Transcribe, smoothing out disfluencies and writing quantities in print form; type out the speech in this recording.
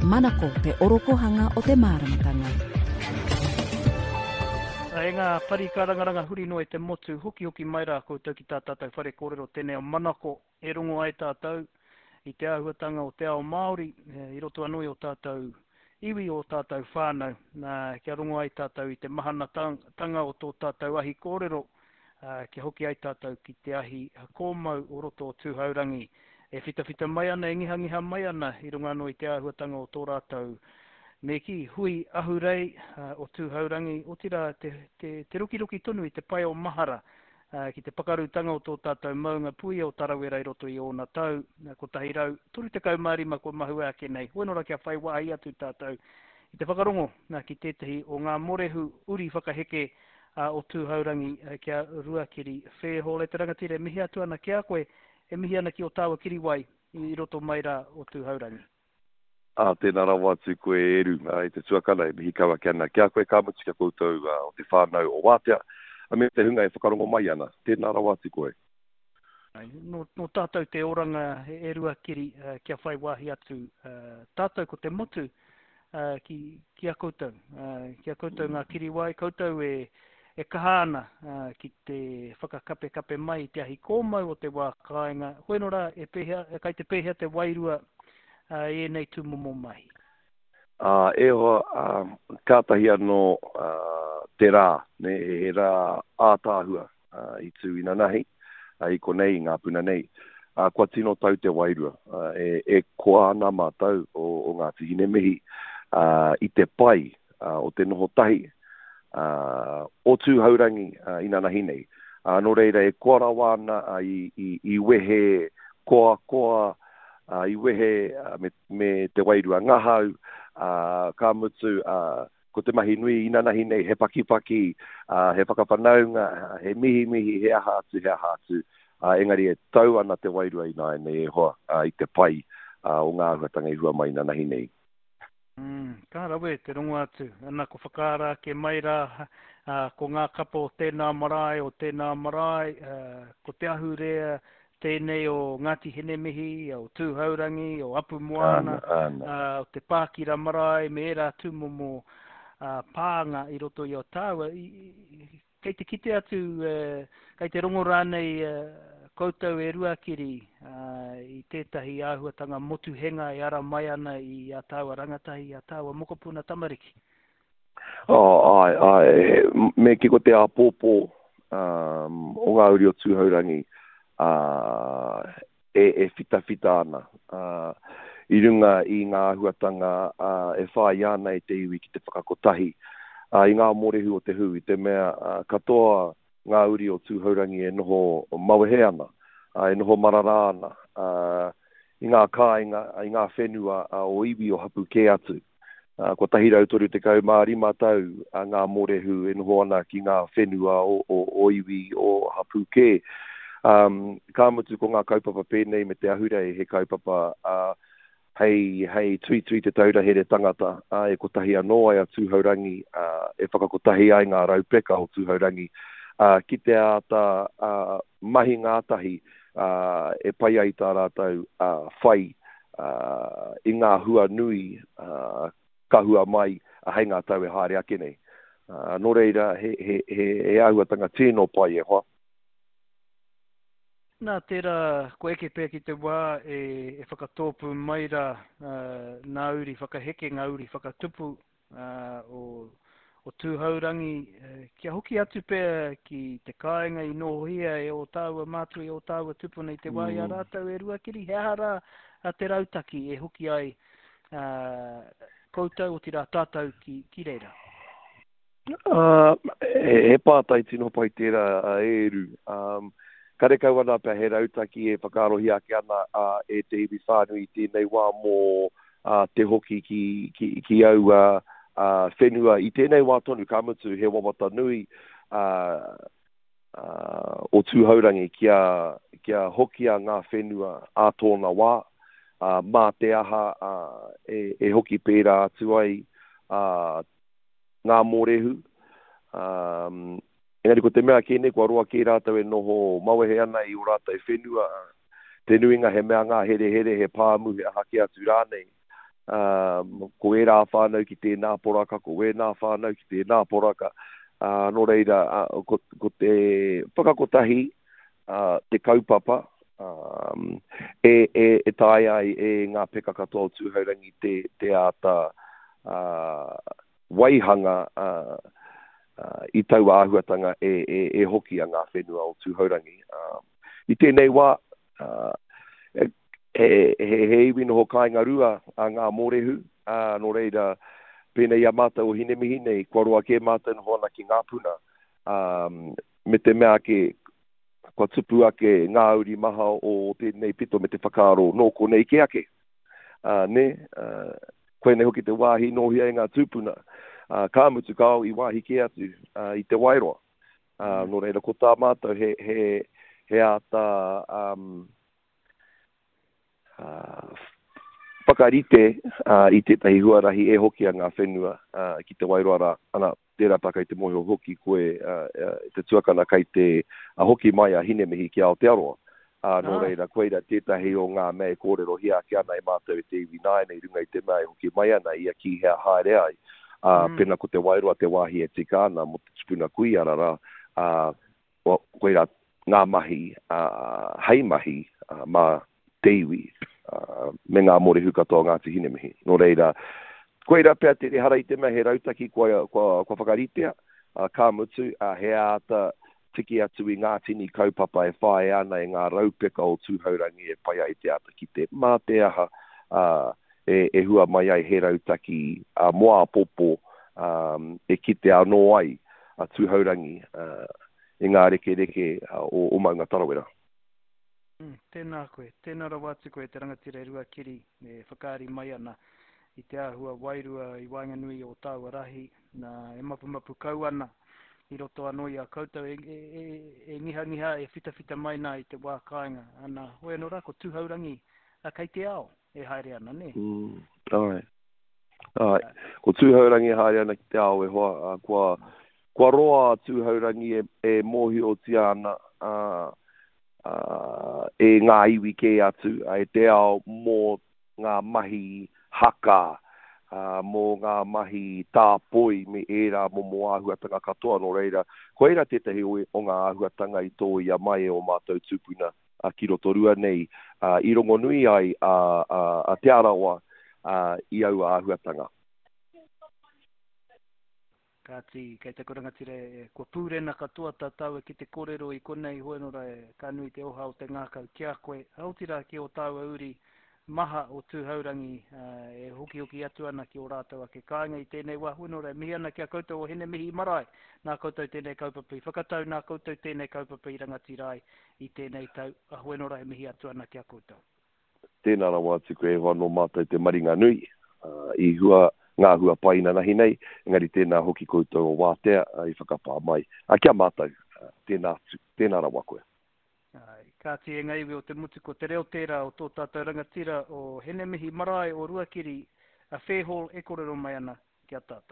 Manako te orokohanga o te māramatanga. E ngā pari kārangaranga huri noa i te motu, hokihoki mai rā koutou ki tā tātou whare kōrero tēnei o Manako e rongo ai tātou i te āhuatanga o te ao Māori i roto anō i ō tātou iwi, ō tātou whānau, nā, kia rongo ai tātou i te mahanatanga o tō tātou ahi kōrero, ā, kia hoki ai tātou ki te ahi kōmau o roto o Tūhourangi e whitawhita mai ana, e ngihangiha mai ana i runga anō i te āhuatanga o tō rātou, me kī, hui ahurei o Tūhourangi, otirā te, te, te rokiroki tonu i te pae o mahara ki te pakarutanga o tō tātou maunga puia o Tarawera i roto i ōna tau 135 kua mahue ake nei. Hoi nō rā kia whai wāhi atu tātou i te whakarongo ki tētehi o ngā morehu uri whakaheke o Tūhourangi ki a Ruakiri Fairhall. E te rangatira e mihi atu ana ki a koe, e mihi ana ki ō tāua kiriwai i roto mai rā o Tūhourangi. Ā, tēnā rawa atu koe e Eru, e te tuakana, e mihi kau ake ana ki a koe, ka mutu ki a koutou o te whānau o Wātea, me te hunga e whakarongo mai ana, tēnā rawa atu koe. Nō, nō tātou te oranga e Ruakiri kia whai wāhi atu tātou ko te motu ki, ki a koutou, ki a koutou ngā kiriwai, koutou e, e kaha ana ki te whakakapekape mai i te ahi kōmau o te wā kāinga, hoi nō rā, e pēhea, kai te pēhea te wairua i ēnei tūmomo mahi? Ā, e hoa, ā, kātahi anō te rā, nē, he rā ātaahua i tū inanahi, i konei, i ngā puna nei. Ā, kua tino tau te wairua. E, e koa ana mātou o, o Ngāti Hinemihi, ā, i te pai o te noho tahi, ā, o Tūhourangi inanahi nei. Ā, nō reira, e koa rawa ana i, i, i wehe koakoa, ā, i wehe me, me te wairua ngahau, ā, ka mutu, ā, ko te mahi nui inanahi nei he pakipaki, ā, he whakawhanaunga, he mihimihi, he aha atu, he aha atu, ā, engari e tau ana te wairua ināianei e hoa, ā, i te pai, ā, o ngā āhuatanga i hua mai inanahi nei. Mm, ka rawe te rongo atu. Ana, ko whakaara ake mai rā, ā, ko ngā kapa o tēnā marae, o tēnā marae, ā, ko te ahurea tēnei o Ngāti Hinemihi, o Tūhourangi, o Apumoana, Āna, āna. ā, o te Pākira marae me ērā tūmomo, ā, pānga i roto i a tāua. I, i, kei te kite atu, kei te rongo rānei koutou e Ruakiri i tētahi āhuatanga motuhenga e ara mai ana i a tāua rangatahi, i a tāua mokopuna tamariki? Oh, āe, āe, me kī ko te āpōpō o ngā uri o Tūhourangi e, e whitawhita ana i runga i ngā āhuatanga e whāia ana e te iwi ki te whakakotahi i ngā mōrehu o te hū, i te mea katoa ngā uri o Tūhourangi e noho mawehe ana, e noho marara ana i ngā kāinga, i ngā whenua o iwi o hapū kē atu. 135 tau ngā mōrehu e noho ana ki ngā whenua o iwi o hapū kē. Ka mutu ko ngā kaupapa pēnei me te ahurei he kaupapa hei, hei tuitui te taura here tangata, ā, e kotahi anō ai a Tūhourangi, ā, e whakakotahi ai ngā raupeka o Tūhourangi, ā, ki te āta, ā, mahi ngātahi, ā, e pai ai tā rātou, ā, whai, ā, i ngā hua nui, ā, ka hua mai hei ngā tau e haere ake nei. Ā, nō reira, he, he, he, he āhuatanga tino pai e hoa. Nā, tērā kua eke pea ki te wā e whakatōpū mai rā ngā uri whakaheke, ngā uri whakatupu o, o Tūhourangi, kia hoki atu pea ki te kāinga i nōhia e ō tāua mātua, i ō tāua tupuna i te wā i a rātou e Ruakiri, he aha rā te rautaki e hoki ai koutou, otirā tātou ki, ki reira? Ā, he pātai tino pai tērā a Eru. Karekau ana pea he rautaki e whakaarohia ake ana e te iwi whānui i tēnei wā mō te hoki ki aua whenua i tēnei wā tonu, ka mutu he wawata nui o Tūhourangi kia hokia ngā whenua ā tōna wā, mā te aha e hoki pērā atu ai ngā mōrehu, ā, engari ko te mea kē nei kua roa kē rātou e noho mawehe ana i ō rātou whenua, te nuinga he mea ngāherehere, he pāmu, he aha kē atu rānei. Ko ērā whānau ki tēnā poraka, ko wēnā whānau ki tēnā poraka. Nō reira, ko, ko te whakakotahi te kaupapa e, e, e taea ai e ngā peka katoa o Tūhourangi te, te āta waihanga i taua āhuatanga e, e, e hoki a ngā whenua o Tūhourangi. I tēnei wā, he, he, he iwi noho kāinga rua a ngā mōrehu, ā, nō reira, pēnei i a mātou o Hinemihi nei, kua roa kē mātou noho ana ki Ngāpuna, ā, me te mea ake, kua tupu ake ngā uri maha o tēnei pito me te whakaaro nō konei kē ake. Ā, nē, ā, koinei hoki te wāhi nōhia e ngā tūpuna, ā, ka mutu kāo i wāhi kē atu, ā, i Te Wairoa. Ā, nō reira, ko tā mātou he, he, he āta, um, ā, whakarite, ā, i tētahi huarahi e hokia ngā whenua, ā, ki Te Wairoa rā. Ana, tērā pea kei te mōhio hoki koe, ā, te tuakana kei te hoki mai a Hinemihi ki Aotearoa. Ā, nō reira, koira tētahi o ngā mea e kōrerohia ake ana e mātou e te iwi nāianei i runga i te mea e hoki mai ana ia ki hea haere ai, ā, pēnā ko Te Wairoa te wāhi e tika ana mō te tupuna kuia rā, ā, koirā ngā mahi, ā, hei mahi mā te iwi, ā, me ngā mōrehu katoa o Ngāti Hinemihi. Nō reira, koirā pea te, ehara i te mea he rautaki kua, kua, kua whakaritea, ā, ka mutu, ā, he āta tiki atu i ngā tini kaupapa e whāia ana e ngā raupeka o Tūhourangi e pai ai te āta kite mā te aha, ā, e, e hua mai ai he rautaki ā, mō āpōpō, ā, e kitea anō ai a Tūhourangi, ā, i ngā rekereke o, o Maunga Tarawera. Mm, tēnā koe, tēnā rawa atu koe te rangatira e Ruakiri e whakaari mai ana i te āhua wairua i waenganui o tāua rahi, nā, e mapumapu kau ana i roto anō i a koutou e, e, e, e ngihangiha, e whitawhita mai nā i te wā kāinga. Ana, hoi anō rā, ko Tūhourangi a, kei te ao e haere ana, nē? Mm, āe. Āe. Ko Tūhourangi e haere ana ki te ao e hoa, ā, kua, kua roa a Tūhourangi e, e mōhiotia ana, ā, ā, e ngā iwi kē atu, ā, e te ao mō ngā mahi haka, ā, mō ngā mahi tāpoi me ērā momo āhuatanga katoa. Nō reira, koirā tētahi o, o ngā āhuatanga i tōia mai e ō mātou tūpuna ki Rotorua nei, ā, i rongonui ai a, a, a Te Arawa, ā, i aua āhuatanga. Kāti, kei taku rangatira e, kua pūrena katoa tā tāua ki te kōrero i konei, hoi anō rā e, ka nui te oha o te ngākau ki a koe, ā, otirā ki ō tāua uri maha o Tūhourangi, ā, e hokihoki atu ana ki ō rātou ake kāinga i tēnei wā, hoi anō rā e mihi ana ki a koutou o Hinemihi Marae, nā koutou tēnei kaupapa i whakatau, nā koutou tēnei kaupapa i rangatira ai i tēnei tau, ā, hoi anō rā e mihi atu ana ki a koutou. Tēnā rawa atu koe e hoa nō mātou te maringa nui i hua ngā hua pai inanahi nei, engari tēnā hoki koutou o Wātea i whakapā mai ki a mātou. Tēnā atu, tēnā rawa koe. Āe, kāti e ngā iwi o te motu ko te reo tērā o tō tātou rangatira o Hinemihi marae o Ruakiri a Fairhall e kōrero mai ana ki a tātou.